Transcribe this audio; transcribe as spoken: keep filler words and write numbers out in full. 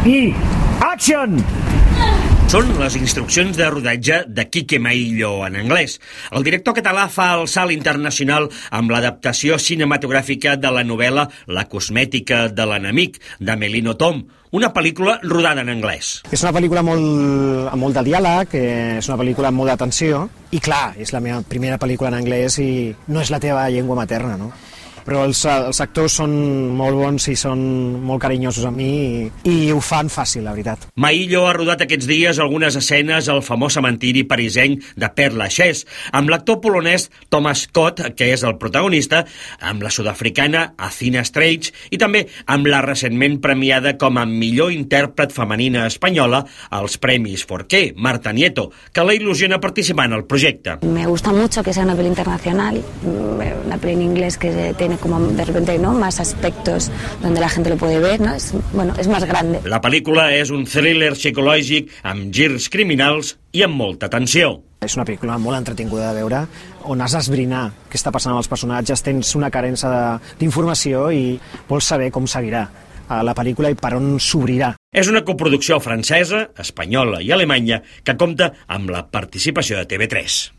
I action! Són les instruccions de rodatge de Quique Maillo en anglès. El director català fa el salt internacional amb l'adaptació cinematogràfica de la novel·la La cosmètica de l'enemic, d'Amelino Tom, una pel·lícula rodada en anglès. És una pel·lícula molt, amb molt de diàleg, és una pel·lícula amb molt d'atenció, i clar, és la meva primera pel·lícula en anglès i no és la teva llengua materna, no? Però els, els actors són molt bons i són molt carinyosos amb mi i, i ho fan fàcil, la veritat. Maillo ha rodat aquests dies algunes escenes al famós cementiri parisenc de Père Lachaise, amb l'actor polonès Thomas Scott, que és el protagonista, amb la sud-africana Athena Streich i també amb la recentment premiada com a millor intèrpret femenina espanyola als Premis Forqué, Marta Nieto, que la il·lusiona participar en el projecte. Me gusta mucho que sea una peli internacional, una peli en inglés que tiene como de repente, ¿no?, más aspectos donde la gente lo puede ver, ¿no? Es, bueno, es más grande. La pel·lícula és un thriller psicològic amb girs criminals i amb molta tensió. És una pel·lícula molt entretinguda de veure, on has d'esbrinar què està passant amb els personatges, tens una carència d'informació i vols saber com seguirà la pel·lícula i per on s'obrirà. És una coproducció francesa, espanyola i alemanya que compta amb la participació de T V tres.